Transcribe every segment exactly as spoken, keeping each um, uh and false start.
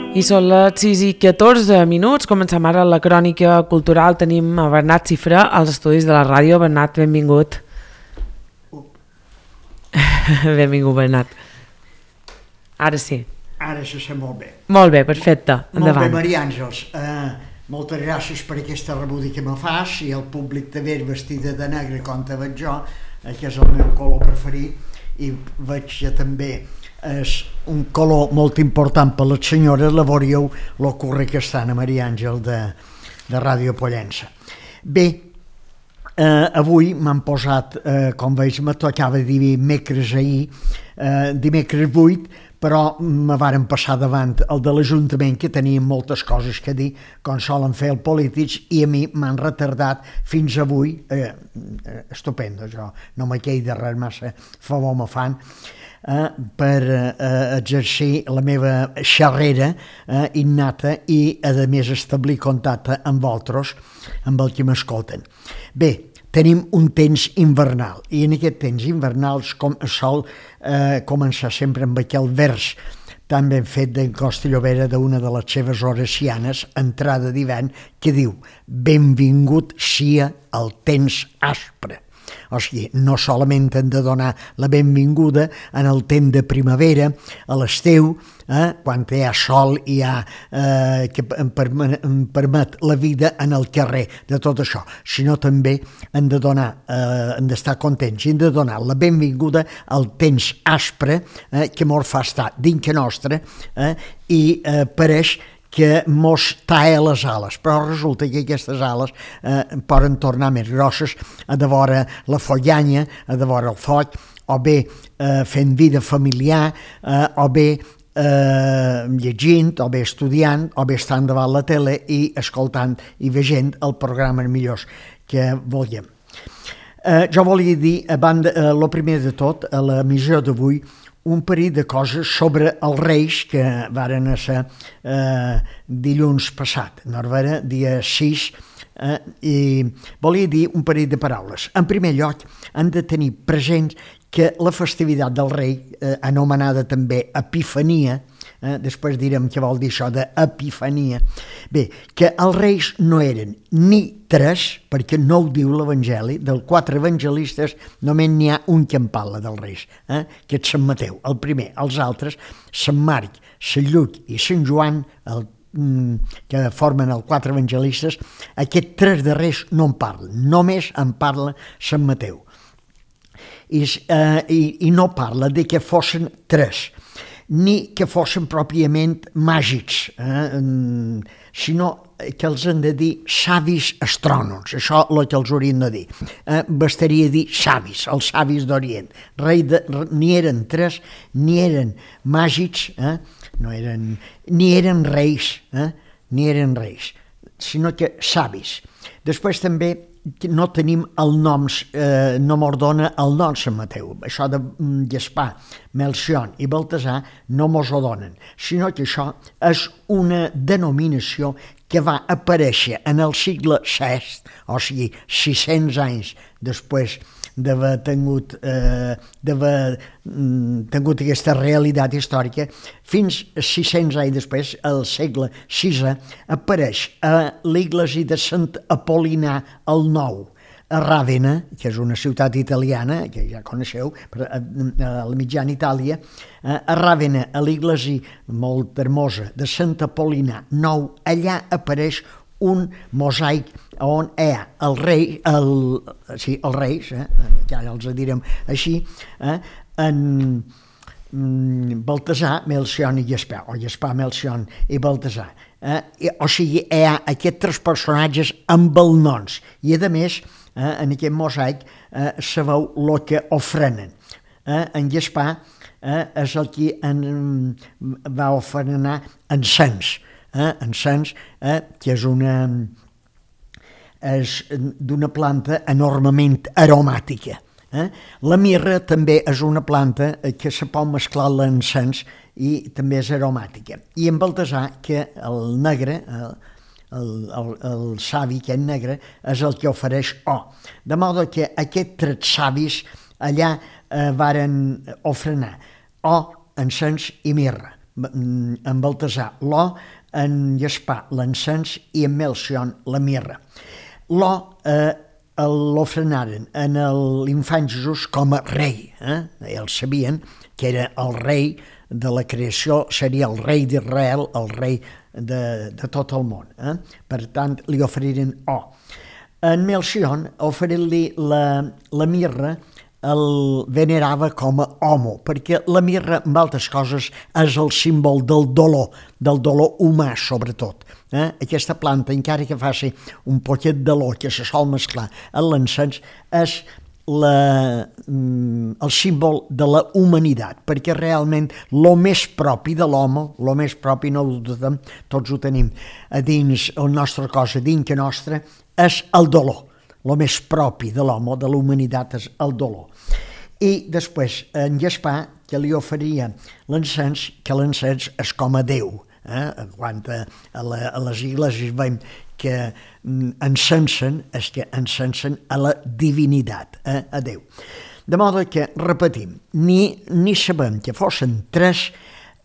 I són les sis i catorze minuts, comencem ara la crònica cultural, tenim a Bernat Cifré als estudis de la ràdio. Bernat, benvingut. Uh. Benvingut, Bernat. Ara sí. Ara se sent molt bé. Molt bé, perfecte, endavant. Molt bé, Maria Àngels. Uh, moltes gràcies per aquesta rebuda que me fas, i el públic te veig vestida de negre com te veig jo, eh, que és el meu color preferit, i veig que també és un color molt important per les senyores. La veuríeu lo curre que estan a Maria Àngel de, de Ràdio Pollença. Bé, eh, avui m'han posat, eh, com veig, me tocava dimecres ahir, eh, dimecres vuit, però me varen passar davant el de l'Ajuntament, que tenien moltes coses que dir, com solen fer els polítics, i a mi m'han retardat fins avui. eh, estupendo, jo no me quedi de res, massa favor me fan, Eh, per eh, exercir la meva xerrera eh, innata, i a més establir contacte amb vosaltres, amb el que m'escolten. Bé, tenim un temps invernal, i en aquest temps invernal com, sol eh, començar sempre amb aquell vers tan ben fet d'en Costa Llobera, d'una de les seves oracianes, entrada d'hivern, que diu: benvingut sia el temps aspre. O sigui, no solament hem de donar la benvinguda en el temps de primavera, a l'estiu, eh, quan hi ha sol i hi ha, eh, que em permet, em permet la vida en el carrer, de tot això, sinó també hem de donar, eh, hem d'estar contents, i hem de donar la benvinguda al temps aspre, eh, que mos fa estar dins que nostre, eh, i eh, pareix que mos talla les ales, però resulta que aquestes ales eh, poden tornar més grosses a de vora la follanya, a de vora el foc, o bé eh, fent vida familiar, eh, o bé eh, llegint, o bé estudiant, o bé estant davant la tele i escoltant i veient el programa millors que volíem. Eh, jo volia dir, a banda, eh, lo primer de tot, a la missió d'avui, un parell de coses sobre els Reis que varen ser eh, dilluns passat, no era dia sis, eh, i volia dir un parell de paraules. En primer lloc, hem de tenir present que la festivitat del Rei, eh, anomenada també Epifania, eh, després direm què vol dir això d'Epifania, bé, que els Reis no eren ni tres, perquè no ho diu l'Evangeli, dels quatre evangelistes només n'hi ha un que en parla dels Reis, eh, que és Sant Mateu, el primer. Els altres, Sant Marc, Sant Lluc i Sant Joan, el, que formen els quatre evangelistes, aquests tres darrers no en parlen, només en parla Sant Mateu. I, eh, i, i no parla de que fossin tres, ni que fossin pròpiament màgics, eh, sinó que els han de dir savis astrònoms, això és el que els haurien de dir. Eh, bastaria dir savis, els savis d'Orient. Ni eren tres, ni eren màgics, eh, no eren, ni eren reis, eh, ni eren reis, sinó que savis. Després també no tenim el nom, eh, no m'ordona el nom Sant Mateu. Això de Gaspar, Melcion i Baltasar no mos ho donen, sinó que això és una denominació que va aparèixer en el segle sexto, o sigui, sis-cents anys després d'haver tingut, eh, d'haver mm, tingut aquesta realitat històrica, fins sis-cents anys després, al segle sisè, apareix a l'església de Sant Apol·linar el Nou, a Ràvena, que és una ciutat italiana, que ja coneixeu, a la mitjana Itàlia, a Ràvena, a l'església molt hermosa de Sant Apol·linar Nou, allà apareix un mosaic on hi ha el rei, el, sí, els reis, eh, ja els direm així, eh, en Baltasar, Melcion i Gaspar, o Gaspar, Melcion i Baltasar. Eh, o sigui, hi ha aquests tres personatges amb els noms, i a més, eh, en aquest mosaic eh, se veu el que ofrenen. Eh, en Gaspar eh, és el que en, va ofrenar encens, eh, encens, eh, que és una és d'una planta enormement aromàtica. Eh? La mirra també és una planta que se pot mesclar a l'encens i també és aromàtica. I en Baltasar, que el negre, el, el, el savi que és negre, és el que ofereix or. De modo que aquests tres savis allà eh, varen ofrenar or, encens i mirra. en Baltasar l'or, en Gaspar l'encens i en Melcion la mirra. L'or eh, l'ofrenaren en l'infant Jesús com a rei. Eh? Ells sabien que era el rei de la creació, seria el rei d'Israel, el rei de, de tot el món. Eh? Per tant, li oferiren or. En Melcion, oferint-li la, la mirra, el venerava com a home, perquè la mirra, en altres coses, és el símbol del dolor, del dolor humà, sobretot. Eh? Aquesta planta, encara que faci un poquet d'olor que se sol mesclar en l'encens, és la, el símbol de la humanitat, perquè realment el més propi de l'home, el més propi no ho dudem, tots ho tenim a dins el nostre cos, a dins que nostre, és el dolor. El més propi de l'home, de la humanitat, és el dolor. I després, en Gaspar, que li oferia l'encens, que l'encens és com a Déu. Eh? Quan a, la, a les iglesis veiem que encensen, és que encensen a la divinitat, eh? A Déu. De modo que, repetim, ni, ni sabem que fossin tres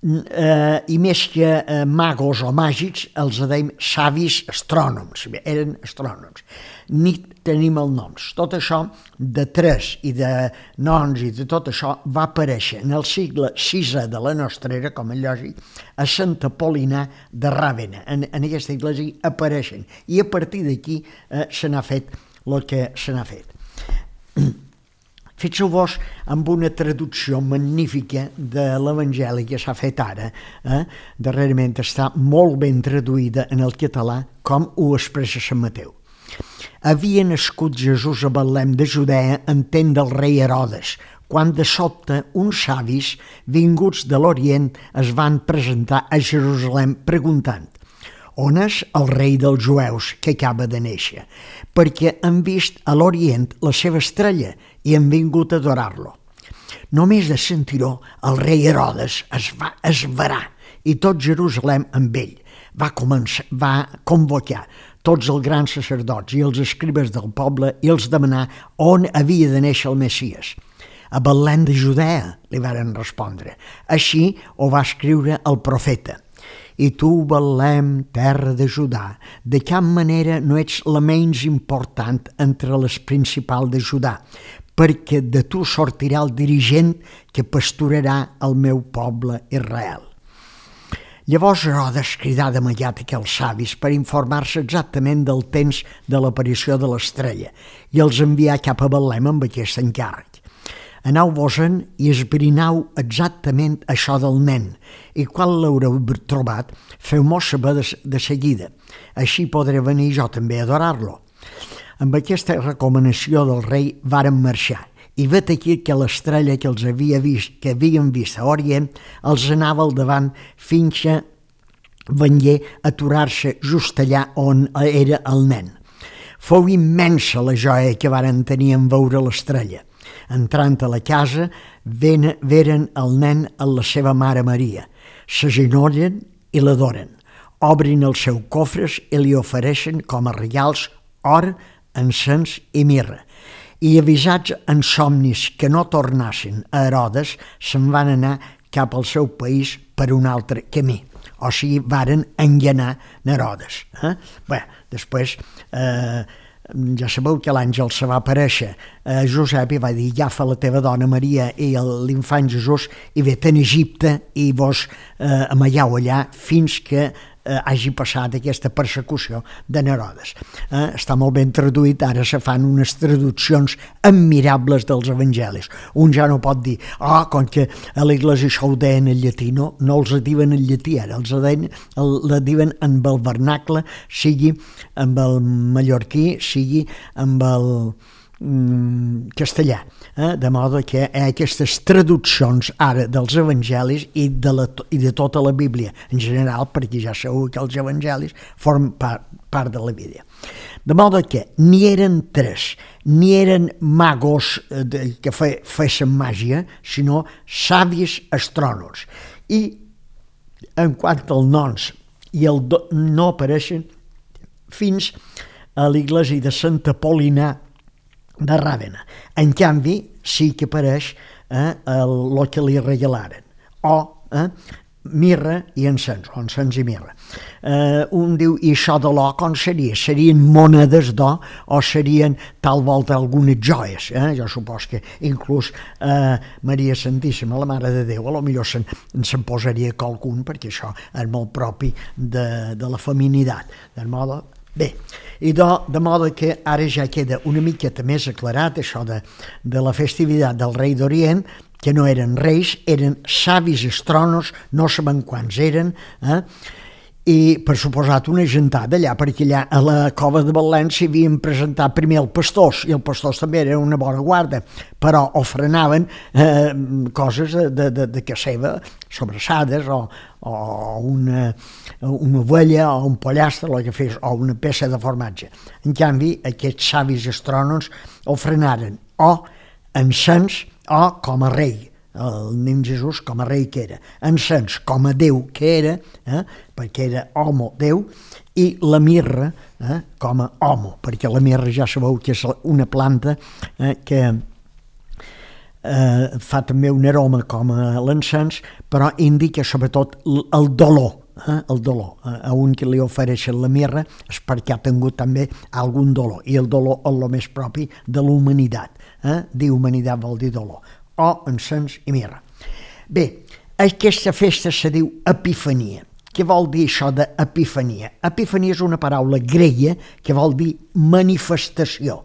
eh, i més que eh, magos o màgics, els deim savis astrònoms, eren astrònoms. Ni tenim els noms. Tot això de tres i de noms i de tot això va aparèixer en el segle sisè de la nostra era, com és lògic, a Santa Polina de Ràvena. En, en aquesta església apareixen. I a partir d'aquí eh, se n'ha fet el que se n'ha fet. Fixeu-vos amb una traducció magnífica de l'Evangeli que s'ha fet ara. Eh? Darrerament està molt ben traduïda en el català, com ho expressa Sant Mateu. Havia nascut Jesús a Betlem de Judea en temps del rei Herodes, quan de sobte uns savis vinguts de l'Orient es van presentar a Jerusalem preguntant: on és el rei dels jueus que acaba de néixer? Perquè han vist a l'Orient la seva estrella i han vingut a adorar-lo. Només de sentir-ho, el rei Herodes es va esverar i tot Jerusalem amb ell. Va, començar, va convocar tots els grans sacerdots i els escribes del poble i els demanar on havia de néixer el Messies. A Betlem de Judea, li varen respondre. Així ho va escriure el profeta. I tu, Betlem, terra de Judà, de cap manera no ets la menys important entre les principals de Judà, perquè de tu sortirà el dirigent que pasturarà el meu poble Israel. Llavors Herodes cridà d'immediat aquells savis per informar-se exactament del temps de l'aparició de l'estrella i els envià cap a Betlem amb aquest encàrrec. Aneu-vos-en i esbrinau exactament això del nen, i quan l'haureu trobat, feu-m'ho saber de, de seguida. Així podré venir jo també a adorar-lo. Amb aquesta recomanació del rei varen marxar, i vet aquí que l'estrella que els havia vist, que havien vist a Orient, els anava al davant fins que vengué a aturar-se just allà on era el nen. Fou immensa la joia que varen tenir en veure l'estrella. Entrant a la casa, veren el nen amb la seva mare Maria. S'agenollen i l'adoren. Obrin els seus cofres i li ofereixen com a regals or, encens i mirra. I avisats en somnis que no tornassin a Herodes, se'n van anar cap al seu país per un altre camí. O sigui, varen enganar Herodes. Eh? Bé, després... Eh, ja sabeu que l'àngel se va aparèixer a Josep i va dir: agafa la teva dona Maria i l'infant Jesús i vet en Egipte i vos eh, amaieu allà fins que eh, hagi passat aquesta persecució de Herodes. Eh, està molt ben traduït, ara se fan unes traduccions admirables dels evangelis. Un ja no pot dir: ah, com que a l'església això ho deien en llatí. No, no els diuen en llatí, ara els deien, el, la diuen amb el vernacle, sigui amb el mallorquí, sigui amb el mm, castellà. Eh? De modo que hi ha aquestes traduccions ara dels evangelis i de, la, i de tota la Bíblia en general, perquè ja sabeu que els evangelis formen part, part de la Bíblia. De modo que ni eren tres, ni eren magos de, que fe, fessin màgia, sinó savis astrònoms. I en quant als noms i el do, no apareixen fins a l'església de Santa Polina de Ràvena. En canvi, sí que apareix eh, el, el que li regalaren. O, eh, mirra i encens, o encens i mirra. Eh, un diu, i això de l'or com seria? Serien monedes d'or o serien tal volta algunes joies? Eh? Jo supos que inclús eh, Maria Santíssima, la Mare de Déu, a lo millor se'n, se'n posaria qualcun, perquè això és molt propi de, de la feminitat. De modo, bé, i de, de modo que ara ja queda una miqueta més aclarat això de, de la festivitat del rei d'Orient, que no eren reis, eren savis astronos, no sabem quants eren, eh? I per suposat una gentada allà, perquè allà a la cova de Betlem s'hi havien presentat primer els pastors, i els pastors també eren una bona guarda, però ofrenaven eh, coses de, de, de casa seva, sobrassades, o, o una, una ovella, o un pollastre, o, que fes, o una peça de formatge. En canvi, aquests savis astrònoms ofrenaren o encens, o com a rei, el nen Jesús com a rei que era, encens com a Déu que era, eh, perquè era homo Déu, i la mirra eh, com a homo, perquè la mirra ja sabeu que és una planta eh, que eh, fa també un aroma com a l'encens, però indica sobretot el dolor, eh, el dolor. A un que li ofereixen la mirra és perquè ha tingut també algun dolor, i el dolor és el més propi de la humanitat. Eh? Dir humanitat vol dir dolor, o encens i mirra. Bé, aquesta festa se diu Epifania. Què vol dir això d'Epifania? Epifania és una paraula grega que vol dir manifestació.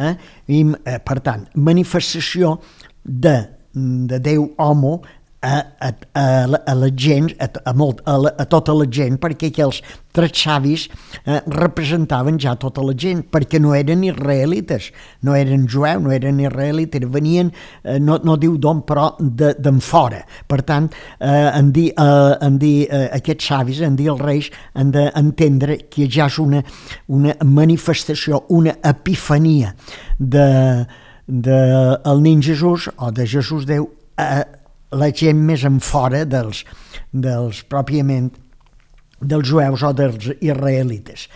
Eh? I, eh, per tant, manifestació de, de Déu homo a, a, a, a la gent, a, a, molt, a, la, a tota la gent, perquè aquells tres savis eh, representaven ja tota la gent, perquè no eren israelites, no eren jueus, no eren israelites, venien, eh, no, no diu d'on, però d'en fora. Per tant, eh, en dir, eh, en dir eh, aquests savis, en dir els reis, han d'entendre que ja és una, una manifestació, una epifania de, de el nen Jesús, o de Jesús Déu, a la gent més en fora dels, dels pròpiament dels jueus o dels israelites.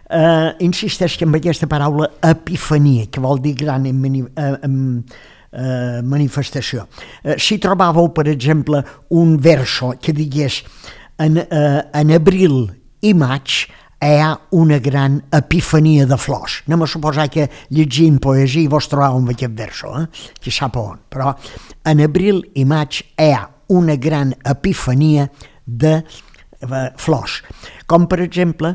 Eh, insisteix que amb aquesta paraula epifania, que vol dir gran en, mani, eh, en eh, manifestació. Eh, si trobàveu, per exemple, un verso que digués en, eh, en abril i maig hi ha una gran epifania de flors. Anem a suposar que llegint poesia vos trobàveu amb aquest verso, eh? Que sap on. Però en abril i maig hi ha una gran epifania de eh, flors. Com per exemple,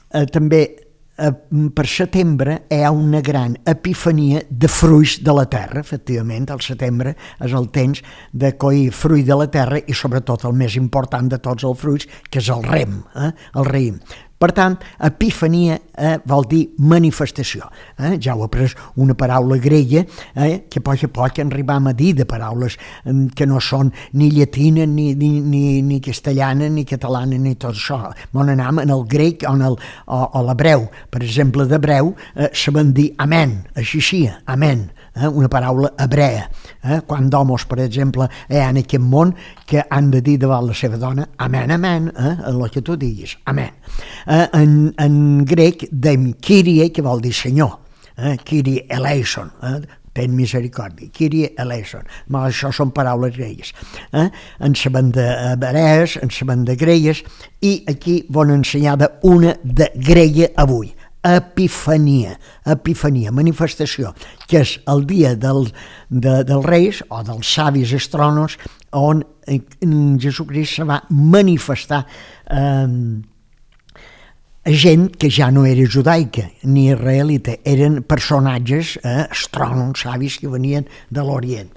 eh, també eh, per setembre hi ha una gran epifania de fruits de la terra. Efectivament, el setembre és el temps de collir fruit de la terra i sobretot el més important de tots els fruits, que és el rem, eh? el raïm. Per tant, epifania eh, vol dir manifestació. Eh? Ja ho he pres una paraula grega eh, que a poc a poc arribam a dir de paraules eh, que no són ni llatina, ni, ni, ni, ni castellana, ni catalana, ni tot això. On anam en el grec o, en el, o, o l'hebreu. Per exemple, d'hebreu eh, sabem dir amén, així sia, amén. Eh, una paraula hebrea. Eh? Quan d'homes, per exemple, hi ha en aquest món que han de dir davant la seva dona amén, amén, eh? el que tu diguis, amén. Eh, en, en grec dèiem Kyrie, que vol dir senyor, eh? Kyrie eleison, eh? ten misericòrdia, Kyrie eleison. Ma això són paraules gregues. Eh? En sabem d'hebrees, en sabem de gregues, i aquí van ensenyar una de grega avui. Epifania, epifania, manifestació, que és el dia del, de, dels reis o dels savis astrònoms on Jesucrist se va manifestar eh, gent que ja no era judaica ni israelita, eren personatges eh, astrònoms, savis que venien de l'Orient.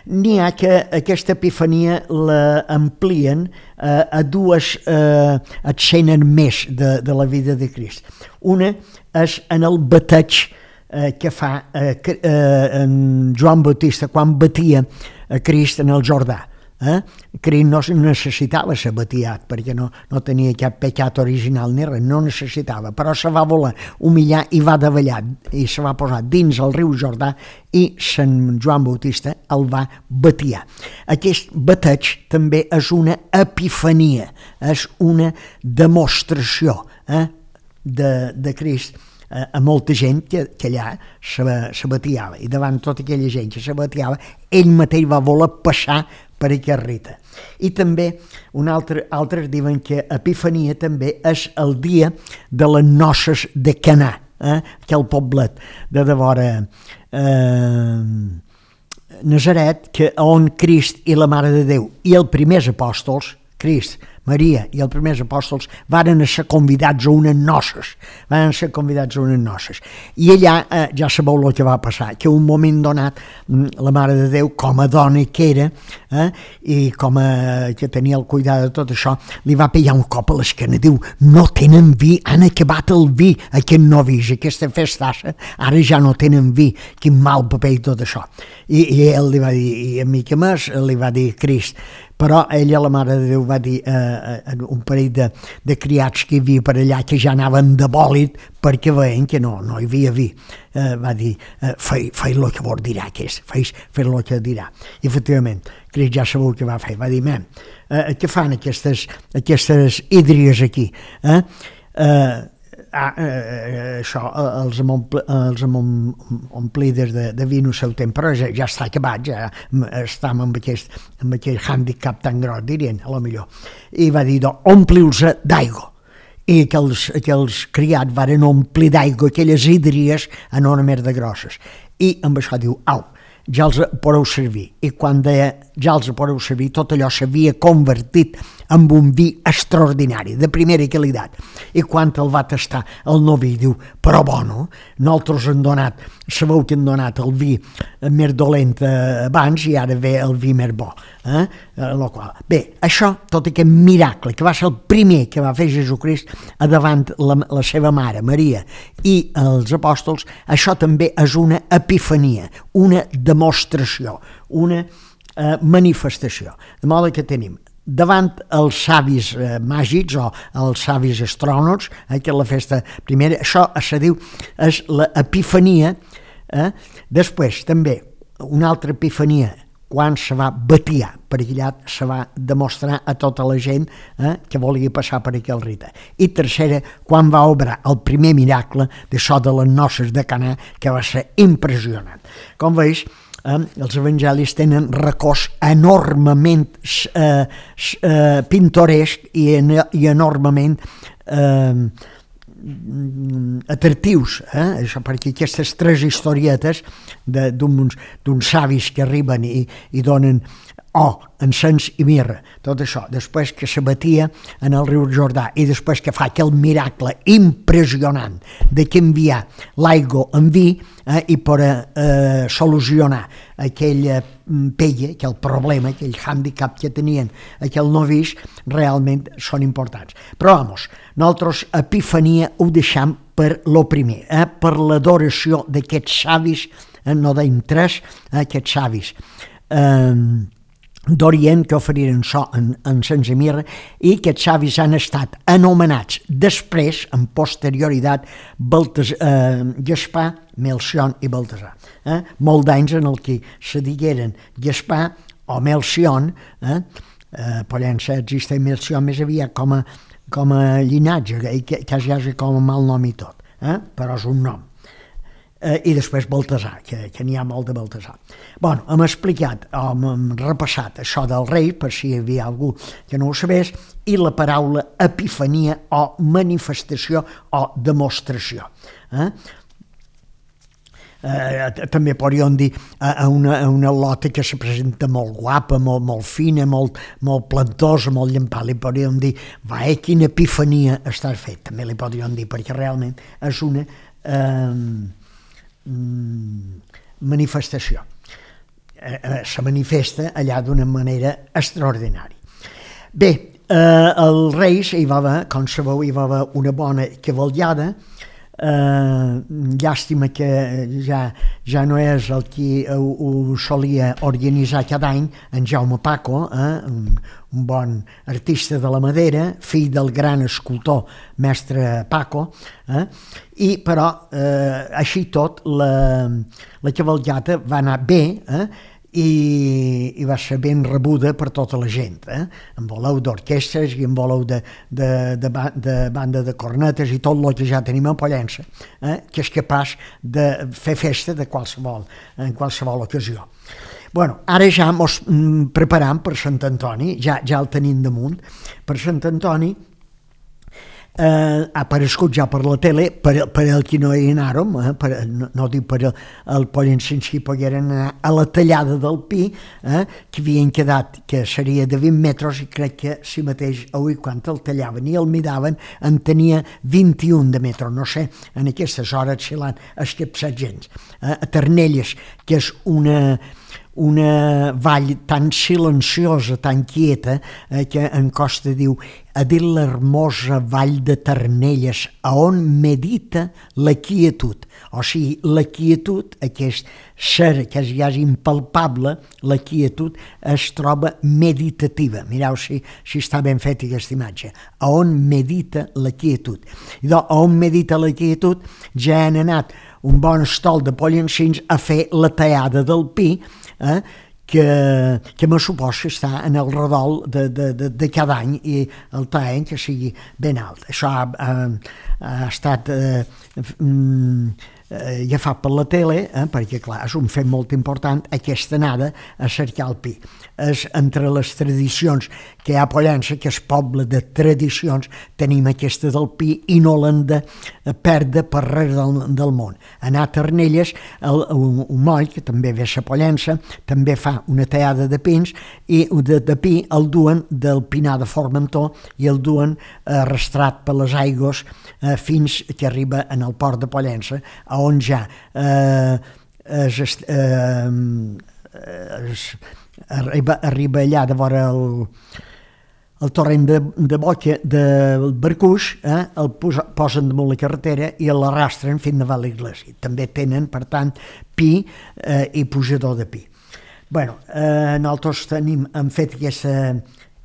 N'hi ha que aquesta epifania l'amplien eh, a dues eh, escenes més de, de la vida de Crist. Una és en el bateig eh, que fa eh, eh, en Joan Bautista quan batia a Crist en el Jordà. Eh? Crist no necessitava ser batiat perquè no, no tenia cap pecat original ni res, no necessitava, però se va voler humillar i va davallar i se va posar dins el riu Jordà i Sant Joan Bautista el va batiar. Aquest bateig també és una epifania, és una demostració eh, de, de Crist a molta gent que, que allà se, se batiava, i davant tota aquella gent que se batiava ell mateix va voler passar per aquest rite. I també un altre, altres diuen que Epifania també és el dia de les noces de Canà, eh? aquell poblet de devora eh, Nazaret, que on Crist i la Mare de Déu i els primers apòstols, Crist, Maria i els primers apòstols varen ser convidats a unes noces, varen ser convidats a unes noces. I allà eh, ja sabeu el que va passar, que un moment donat la Mare de Déu, com a dona que era, eh, i com a, que tenia el cuidar de tot això, li va pegar un cop a l'esquena. Diu, no tenen vi, han acabat el vi, aquest novis, aquesta festassa, ara ja no tenen vi, quin mal paper i tot això. I, i ell li va dir, i a mi que més, li va dir Crist, però ella, la Mare de Déu, va dir a eh, eh, un parell de, de criats que hi havia per allà que ja anaven de bòlit perquè veien que no, no hi havia vi. Eh, va dir, eh, fei, fei el que vos dirà, que és, fei, fei el que dirà. I efectivament, Crist ja sabeu què va fer, va dir, men, eh, què fan aquestes, aquestes hídries aquí? Eh? Eh, Ah, eh, això, els hem, omple, els hem omplides de, de vi en el seu temps, però ja, ja està acabat, ja estem amb aquest, amb aquest handicap tan gros, dirien, a lo millor. I va dir, ompli'ls d'aigua. I aquells, aquells criats varen omplir d'aigua aquelles hídries enormes de grosses. I amb això diu, au, ja els podeu servir. I quan deia, ja els podeu servir, tot allò s'havia convertit en un vi extraordinari, de primera qualitat. I quan el va tastar el novi, diu, però bueno, nosaltres hem donat, sabeu que hem donat el vi més dolent abans i ara ve el vi més bo. Eh? Lo qual. Bé, això, tot aquest miracle, que va ser el primer que va fer Jesucrist davant la, la seva mare, Maria, i els apòstols, això també és una epifania, una demostració, una eh, manifestació. De modo que tenim davant els savis eh, màgics o els savis astrònoms, eh, que és la festa primera, això se diu, és l'epifania. Eh? Després, també, una altra epifania, quan se va batiar, perquè allà se va demostrar a tota la gent eh, que volia passar per aquell rite. I tercera, quan va obrar el primer miracle d'això de les noces de Canà, que va ser impressionant. Com veus, eh, els evangelis tenen records enormement eh, eh, pintoresc i, en, i enormement eh, atractius, eh? Això, perquè aquestes tres historietes d'uns savis que arriben i, i donen or, encens i mirra, tot això, després que s'abatia en el riu Jordà i després que fa aquell miracle impressionant de canviar l'aigua en vi eh, i per eh, solucionar aquella pella, aquell problema, aquell hàndicap que tenien aquell novís, realment són importants. Però, vamos, nosaltres Epifania ho deixam per lo primer, eh, per l'adoració d'aquests savis, eh, no deim tres, eh, aquests savis eh, d'Orient que oferiren so en, en sense mirra, i aquests savis han estat anomenats després, en posterioritat, Baltas, eh, Gaspar, Melcion i Baltasar. Eh? Molt d'anys en el que se digueren Gaspar o Melcion, eh? Eh, Pollença existeix Melcion més aviat com a, com a llinatge, que quasi, quasi com a mal nom i tot, eh? Però és un nom. Eh, i després Baltasar, que, que n'hi ha molt de Baltasar. Bueno, hem explicat, hem, hem repassat això del rei, per si hi havia algú que no ho sabés, i la paraula epifania o manifestació o demostració. Eh? Eh, també podríem dir a una, a una lota que se presenta molt guapa, molt, molt fina, molt, molt plantosa, molt llampada, li podríem dir, va, eh, quina epifania estàs fet, també li podríem dir, perquè realment és una eh, manifestació. Eh, eh, se manifesta allà d'una manera extraordinària. Bé, eh, el reis hi va haver, com sabeu, hi va haver una bona cavallada. Eh, llàstima que ja, ja no és el qui ho, ho solia organitzar cada any, en Jaume Paco, eh, un, un bon artista de la madera, fill del gran escultor mestre Paco, eh, i però eh, així tot la, la cavalcata va anar bé, eh, i, i va ser ben rebuda per tota la gent, eh? En voleu d'orquestres i en voleu de, de, de, de banda de cornetes i tot el que ja tenim a Pollença, eh? Que és capaç de fer festa de qualsevol, en qualsevol ocasió. Bueno, ara ja mos mm, preparam per Sant Antoni, ja, ja el tenim damunt. Per Sant Antoni eh, ha aparegut ja per la tele, per, per el que no hi anàrem, eh, per, no, no dic per el, el Pollençins que pogueren anar a la tallada del pi, eh, que havien quedat, que seria de vint metres, i crec que si mateix avui quan el tallaven i el miraven en tenia vint-i-un de metres, no sé, en aquestes hores si l'han escapçat gens. Eh, a Ternelles, que és una una vall tan silenciosa, tan quieta, eh, que en Costa diu a dir l'hermosa vall de Ternelles, a on medita la quietud. O sigui, la quietud, aquest ser que és ja impalpable, la quietud es troba meditativa. Mireu si, si està ben feta aquesta imatge. A on medita la quietud. I doncs, a on medita la quietud ja han anat un bon estol de Pollençins a fer la tallada del pi, eh, que, que me suposa està en el redol de, de, de, de cada any i el tallen que sigui ben alt. Això ha, ha, ha estat eh, mm, eh, agafat per la tele, eh, perquè clar, és un fet molt important aquesta anada a cercar el pi. És entre les tradicions que hi ha a Pollença, que és poble de tradicions, tenim aquesta del pi i no l'hem de perdre per res del, del món. Anar a Ternelles, el, un, un moll, que també ve a Pollença, també fa una tallada de pins i de, de pi el duen del Pinar de Formentor i el duen arrastrat per les aigües eh, fins que arriba en el port de Pollença, on ja eh, es, eh, es, arriba, arriba allà de vora el, el torrent de, de Boca del Barcuix, eh, el posa, posen damunt la carretera i l'arrastren fins a l'Iglésia. També tenen, per tant, pi eh, i pujador de pi. Bueno, eh, nosaltres tenim, hem fet aquesta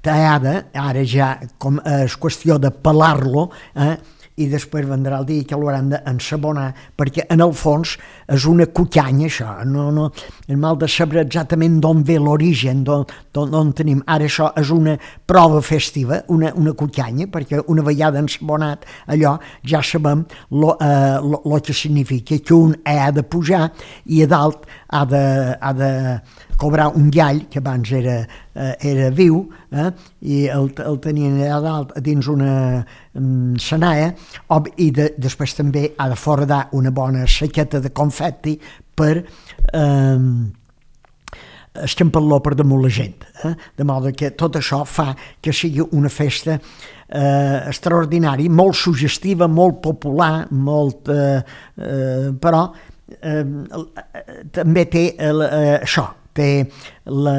tallada, ara ja com és qüestió de pelar-lo, eh, i després vendrà el dia que l'hauran d'ensabonar, perquè en el fons és una cucanya, això. No, no, el mal de saber exactament d'on ve l'origen, d'on tenim. Ara això és una prova festiva, una, una cucanya, perquè una vegada ensabonat allò ja sabem lo, eh, lo, lo que significa, que un ha de pujar i a dalt ha de, ha de cobrar un gall, que abans era, eh, era viu, eh, i el, el tenien allà dalt dins una um, senaia, i de, després també ha de foradar una bona saqueta de confeti per eh, escampar-lo per damunt la gent. Eh? De modo que tot això fa que sigui una festa eh, extraordinària, molt suggestiva, molt popular, molt, eh, eh, però eh, també té eh, això, té la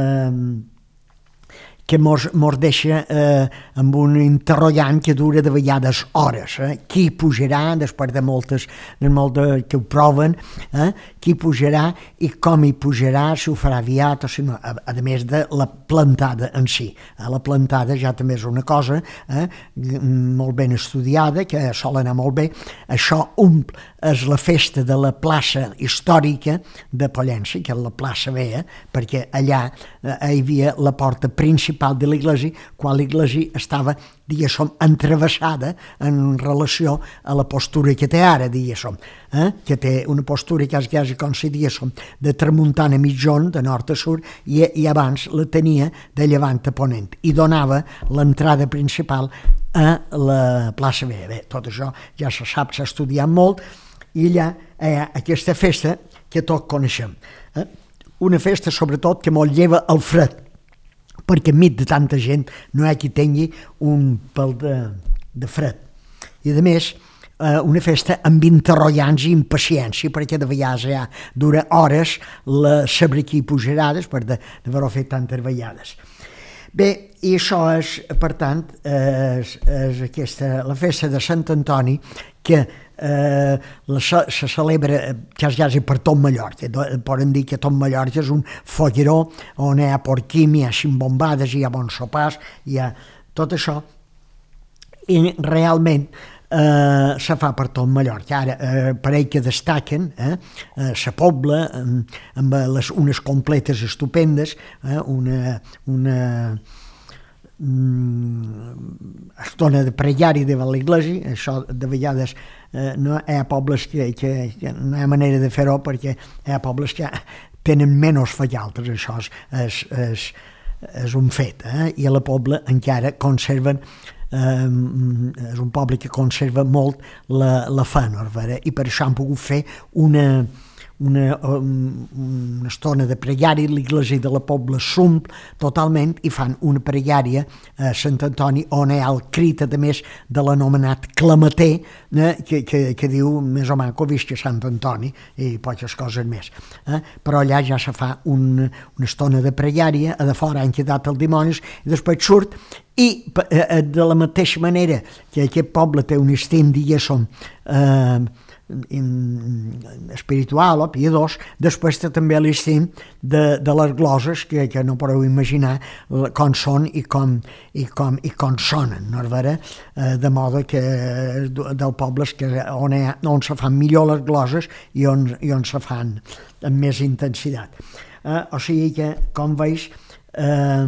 que mos, mos deixa eh, amb un interrogant que dura de vegades hores. Eh? Qui pujarà, després de moltes, de moltes que ho proven, eh? Qui pujarà i com hi pujarà, si ho farà aviat o si no, a, a més de la plantada en si. Eh? La plantada ja també és una cosa eh? molt ben estudiada, que sol anar molt bé. Això omple és la festa de la plaça històrica de Pollença, que és la plaça Vella, perquè allà eh, hi havia la porta principal de l'església, quan l'església estava, diguéssim, entrevessada en relació a la postura que té ara, diguéssim, eh? que té una postura quasi, quasi com si diguéssim, de tramuntana a mitjon, de nord a sud, i, i abans la tenia de llevant a ponent, i donava l'entrada principal a la plaça Vella. Bé, tot això ja se sap, s'ha estudiat molt, i allà hi ha aquesta festa que tots coneixem. Eh? Una festa, sobretot, que molt lleva el fred, perquè enmig de tanta gent no hi ha qui tingui un pèl de, de fred. I a més, eh, una festa amb interrogants i impaciència, perquè de vegades ja dura hores la saber qui pujarà després d'haver-ho fet tantes vegades. Bé, i això és, per tant, és, és aquesta, la festa de Sant Antoni, que eh, la, se celebra quasi, quasi per tot Mallorca. Poden dir que tot Mallorca és un folleró on hi ha porquim, hi ha ximbombades, hi ha bons sopars, hi ha tot això, i realment eh, se fa per tot Mallorca. Ara, eh, per ell que destaquen, eh, eh, la Pobla, eh, amb les, unes completes estupendes, eh, una... una estona de pregari davant l'església. Això de vegades eh, no hi ha pobles que, que, que no hi ha manera de fer-ho, perquè hi ha pobles que tenen menys fe que altres, això és, és, és, és un fet, eh? I a la Pobla encara conserven, eh, és un poble que conserva molt la, la fe, no? I per això han pogut fer una, una, una estona de pregària, l'església de la Pobla s'omple totalment i fan una pregària a Sant Antoni on hi ha el crit, a més de l'anomenat clamater, eh, que, que, que diu més o manco visca Sant Antoni i poques coses més. Eh? Però allà ja se fa un, una estona de pregària, a de fora han quedat els dimonis i després surt i eh, de la mateixa manera que aquest poble té un estim, diguéssim, eh, espiritual o piadós, després té també l'estim de, de les gloses que, que no podeu imaginar com són i com, i com, i com sonen, no és vera? Eh, de modo que del poble és que on, ha, on se fan millor les gloses i on, i on se fan amb més intensitat. Eh, o sigui que, com veus, eh,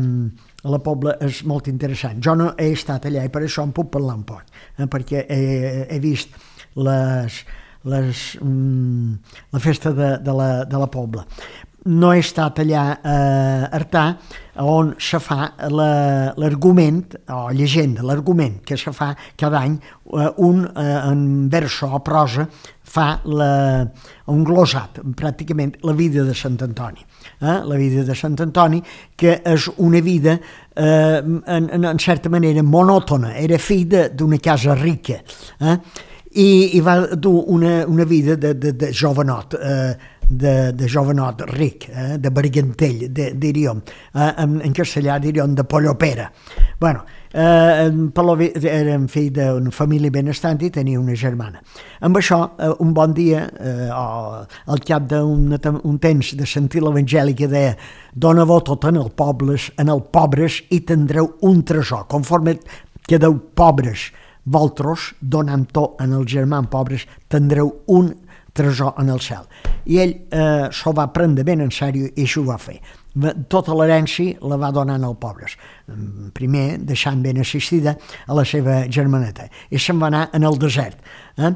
la Pobla és molt interessant. Jo no he estat allà i per això en puc parlar un poc, eh, perquè he, he vist les Les, mm, la festa de, de, la, de la Pobla. No he estat allà a Artà, on se fa l'argument, o llegenda, l'argument que se fa cada any, un en verso o prosa fa la, un glosat, pràcticament la vida de Sant Antoni. Eh? La vida de Sant Antoni, que és una vida eh, en, en certa manera monòtona, era fill d'una casa rica, eh? I, i va dur una, una vida de, de, de jovenot, eh, de, de jovenot ric, eh, de bargantell, de, diríem, eh, en, en castellà diríem de pollopera. Bueno, eh, Palovi era fill d'una família benestant i tenia una germana. Amb això, eh, un bon dia, eh, o al cap d'un un temps de sentir l'evangeli que deia «Dona-vos tot en el pobles, en el pobres i tindreu un tresor, conforme quedeu pobres, vosaltres, donant-ho en els germans pobres, tindreu un tresor en el cel». I ell eh, s'ho va prendre ben en sèrio i això ho va fer. Tota l'herència la va donar als pobres. Primer, deixant ben assistida a la seva germaneta. I se'n va anar en el desert. Eh?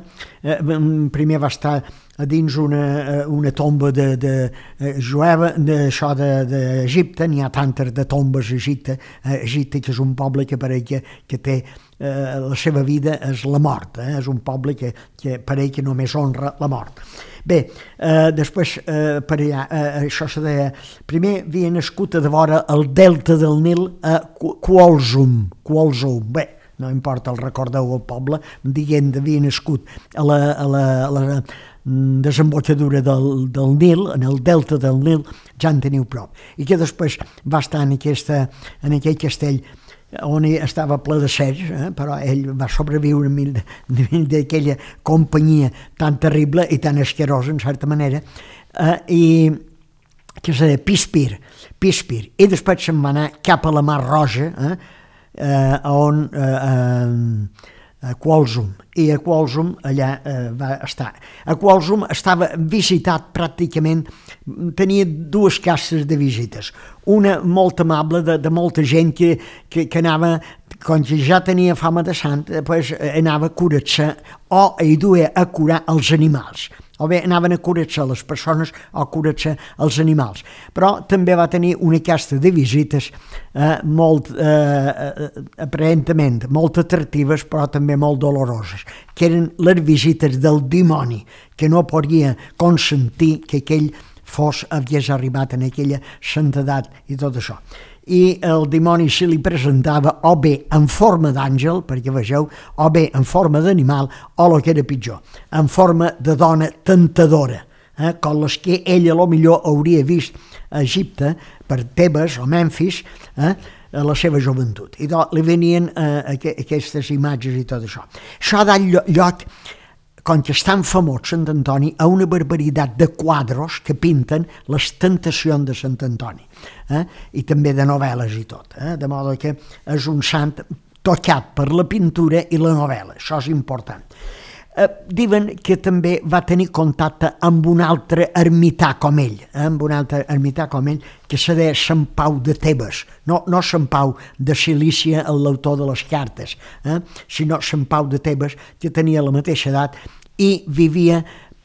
Primer va estar a dins una, una tomba de, de jueva, d'això d'Egipte, n'hi ha tantes de tombes a Egipte, Egipte que és un poble que pareix que, que té eh, la seva vida és la mort, eh? És un poble que, que pareix que només honra la mort. Bé, eh, després eh, per allà, eh, això se deia, primer havia nascut a de vora el delta del Nil a Quolsum, Quolsum, bé, no importa, el recordeu el poble, dient que havia nascut a la, a la, a la desembocadura del, del Nil, en el delta del Nil, ja en teniu prop. I que després va estar en, aquesta, en aquell castell on estava ple de cercs, eh? Però ell va sobreviure d'aquella companyia tan terrible i tan asquerosa, en certa manera, eh? I que se deia Pispir, Pispir, i després se'n va anar cap a la Mar Roja, eh? Eh, on eh, eh, a Quolsum, i a Quolsum allà eh, va estar. A Quolsum estava visitat pràcticament, tenia dues cases de visites, una molt amable de, de molta gent que, que, que anava, com que ja tenia fama de sant, pues, anava a curar-se o hi duia a curar els animals. O bé anaven a curar-se les persones o a curar-se els animals. Però també va tenir una casta de visites eh, molt, eh, aparentament, molt atractives, però també molt doloroses, que eren les visites del dimoni, que no podia consentir que aquell fos hagués arribat en aquella santedat i tot això. I el dimoni se li presentava o bé en forma d'àngel, perquè vegeu, o bé en forma d'animal, o el que era pitjor, en forma de dona tentadora, eh, com les que ella a lo millor hauria vist a Egipte, per Tebes o Memphis, eh, a la seva joventut. I doncs li venien eh, aquestes imatges i tot això. Això ha dat lloc, com que és tan famós Sant Antoni, a una barbaritat de quadros que pinten les tentacions de Sant Antoni, eh? I també de novel·les i tot, eh? De modo que és un sant tocat per la pintura i la novel·la, això és important. Eh, diuen que també va tenir contacte amb un altre ermità com ell, eh? Amb un altre ermità com ell, que se deia Sant Pau de Tebes, no, no Sant Pau de Cilícia, l'autor de les cartes, eh? Sinó Sant Pau de Tebes, que tenia la mateixa edat i vivia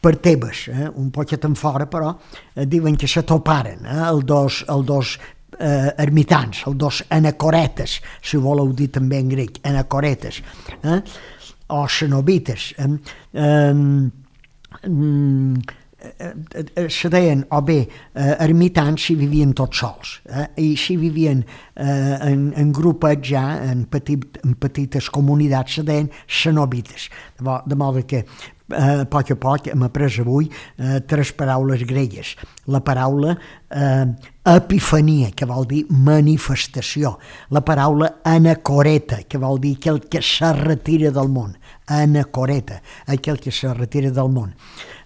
per Tebes, eh, un poquet en fora, però eh, diuen que se toparen, eh, els dos, el dos eh, ermitans, els dos anacoretes, si voleu dir també en grec, anacoretes, eh, o cenobites. Eh, eh, se deien o bé eh, ermitans si vivien tots sols, eh, i si vivien eh, en, en grupets ja, en, petit, en petites comunitats, se deien cenobites, de, bo, de modo que a eh, poc a poc hem après avui eh, tres paraules gregues. La paraula eh, epifania, que vol dir manifestació. La paraula anacoreta, que vol dir aquell que se retira del món. Anacoreta, aquell que se retira del món.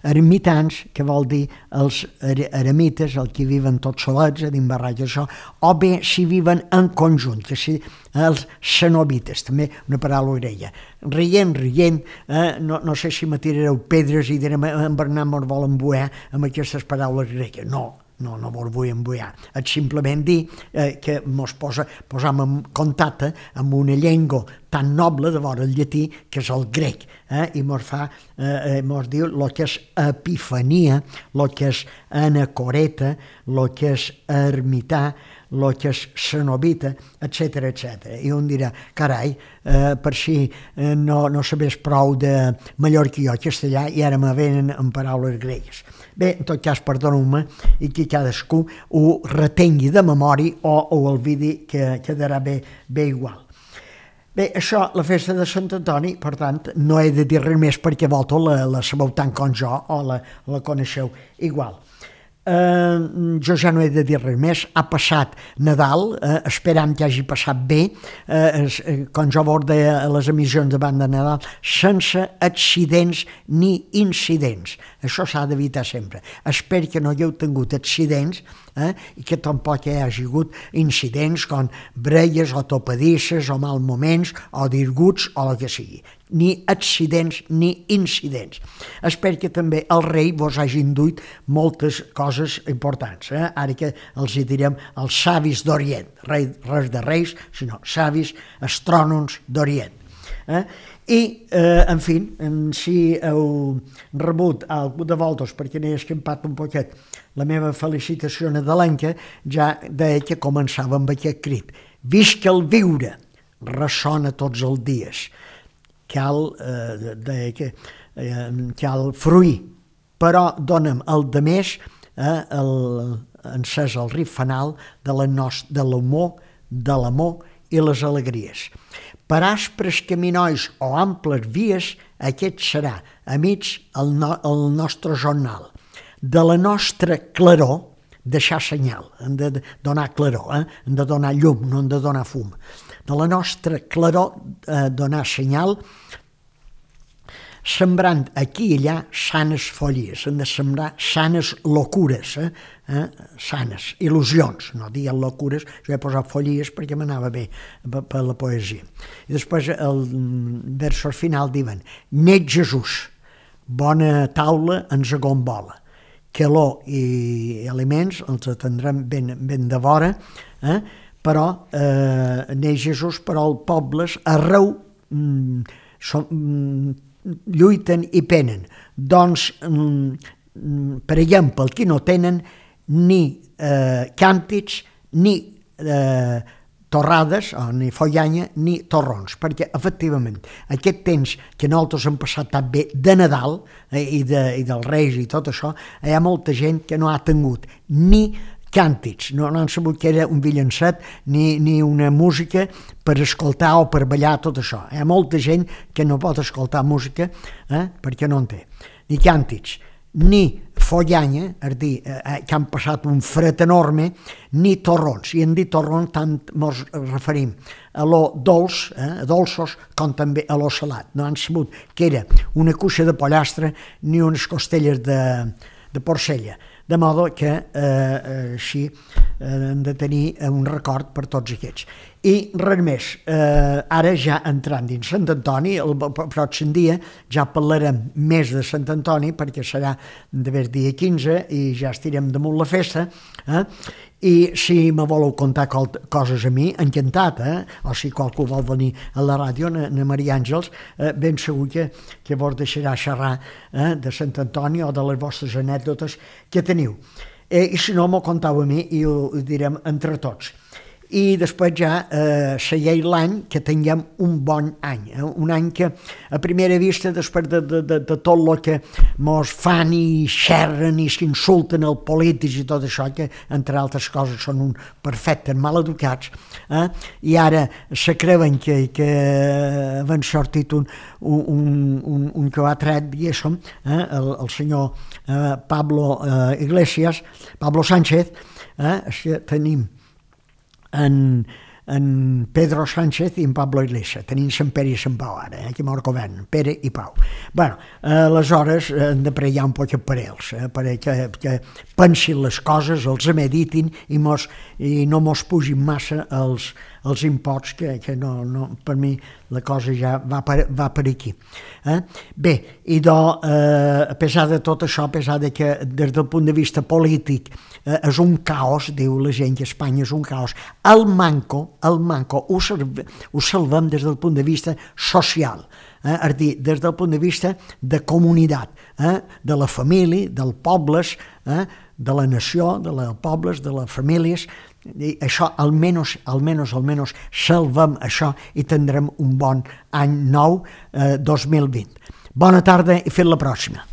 Ermitans, que vol dir els eremites, els que viven tots solets, a dins barracs, això, o bé si viven en conjunt, que si els cenobites, també una paraula grega. Rient, rient, eh, no, no sé si me tirareu pedres i direm en Bernat mos vol embuar amb aquestes paraules gregues. No, no, no vos vull embuar. És simplement dir eh, que mos posa, posam en contacte amb una llengua tan noble de vora el llatí, que és el grec, eh? I mos fa, eh, mos diu el que és epifania, el que és anacoreta, el que és ermità, el que és cenobita, etcètera, etcètera. I un dirà, carai, eh, per si eh, no, no sabés prou de mallorquí o castellà i ara me venen en paraules gregues. Bé, en tot cas, perdoneu-me, i que cadascú ho retengui de memòria o ho olvidi, que quedarà bé, bé igual. Bé, això, la festa de Sant Antoni, per tant, no he de dir res més perquè vosaltres la, la sabeu tant com jo o la, la coneixeu igual. Eh, jo ja no he de dir res més. Ha passat Nadal, eh, esperam que hagi passat bé, eh, eh, com jo vos deia a les emissions davant de Nadal, sense accidents ni incidents. Això s'ha d'evitar sempre. Espero que no hagueu tingut accidents, eh, i que tampoc hi hagi hagut incidents com brelles o topadisses o mal moments o disguts o el que sigui. Ni accidents ni incidents. Espero que també el rei vos hagi induït moltes coses importants. Eh? Ara que els hi direm els savis d'Orient. Rei, res de reis, sinó savis astrònoms d'Orient. Eh? I, eh, en fi, si heu rebut algú de vosaltres, perquè n'he escampat un poquet, la meva felicitació nadalenca, ja deia que començava amb aquest crit. Visca el viure, ressona tots els dies. Cal, eh, deia que, eh, cal fruir, però dona'm el de més, eh, el, encès el riff fanal de la nos, de l'humor, de l'amor i les alegries. Per aspres caminois o amples vies, aquest serà, amics, el, no, el nostre jornal. De la nostra claror, deixar senyal, hem de donar claror, eh? Hem de donar llum, no hem de donar fum. De la nostra claror, eh, donar senyal, sembrant aquí i allà sanes follies, hem de sembrar sanes locures, eh? Eh? Sanes, il·lusions, no diguem locures, jo he posat follies perquè m'anava bé per, per la poesia. I després el versos final diuen, net Jesús, bona taula ens agombola, calor i aliments els atendrem ben, ben de vora, eh? Però eh, net Jesús, però els pobles arreu mm, som, mm, lluiten i penen. Doncs, mm, per exemple, el que no tenen ni eh, càntics, ni eh, torrades, o ni follanya, ni torrons, perquè, efectivament, aquest temps que nosaltres hem passat tan bé de Nadal eh, i, de, i dels Reis i tot això, hi ha molta gent que no ha tingut ni càntics, no, no han sabut que era un villancet ni, ni una música per escoltar o per ballar, tot això. Hi ha molta gent que no pot escoltar música eh, perquè no en té. Ni càntics, ni follanya, és dir, eh, que han passat un fred enorme, ni torrons. I en dir torrons tant ens referim a lo dolç, eh, a dolços, com també a lo salat. No han sabut que era una cuixa de pollastre ni unes costelles de, de porcella. De modo que eh, així eh, hem de tenir un record per tots aquests. I res més, eh, ara ja entrant dins Sant Antoni, el pròxim dia ja parlarem més de Sant Antoni, perquè serà d'haver dia quinze i ja estirem damunt la festa, eh? I si me voleu contar coses a mi, encantat, eh? O si qualcú vol venir a la ràdio, na, na Maria Àngels, eh, ben segur que, que vos deixarà xerrar eh, de Sant Antoni o de les vostres anècdotes que teniu. Eh, I si no, m'ho contau a mi i ho, ho direm entre tots. I després ja eh, segueix l'any que tinguem un bon any, eh? Un any que a primera vista, després de, de, de, de tot el que mos fan i xerren i s'insulten els polítics i tot això, que entre altres coses són un perfectes maleducats, eh? I ara se creuen que, que han sortit un, un, un, un que ho ha tret, diguéssim, eh? el, el senyor eh, Pablo eh, Iglesias, Pablo Sánchez, eh? Tenim en, en Pedro Sánchez i en Pablo Iglesias. Tenim Sant Pere i Sant Pau ara, eh, que mor govern, Pere i Pau. Bueno, eh, aleshores hem de pregar un poc per ells, eh, perquè que pensin les coses, els meditin i, mos, i no mos pugin massa els, els imposts, que, que no, no, per mi la cosa ja va per, va per aquí. Eh? Bé, i do, eh, a pesar de tot això, a pesar de que des del punt de vista polític eh, és un caos, diu la gent que Espanya és un caos, el manco, el manco ho, serve, ho salvem des del punt de vista social, eh? És dir, des del punt de vista de comunitat, eh? De la família, dels pobles, eh? De la nació, de les pobles, de les famílies. I això almenys, almenys, almenys salvem això i tindrem un bon any nou eh, dos mil vint. Bona tarda i fins la pròxima.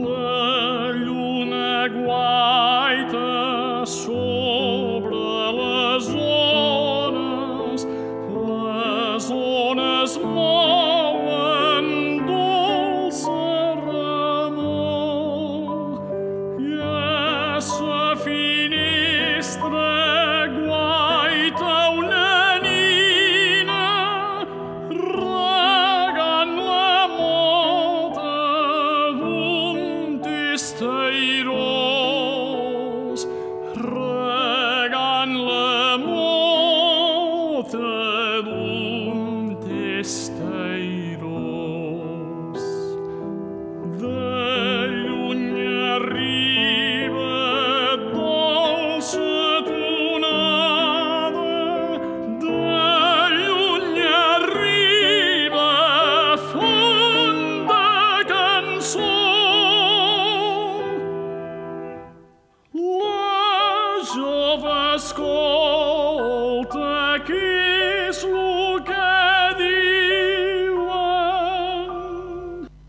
La lluna guaita sobre les ones, les ones mouen dolça remor, i a sa finestra guaita una nina regant la mota d'un testairós, regant la mota d'un testairós. De lluny arriba dolça tonada, de lluny arriba fonda cançó. La jove escolta que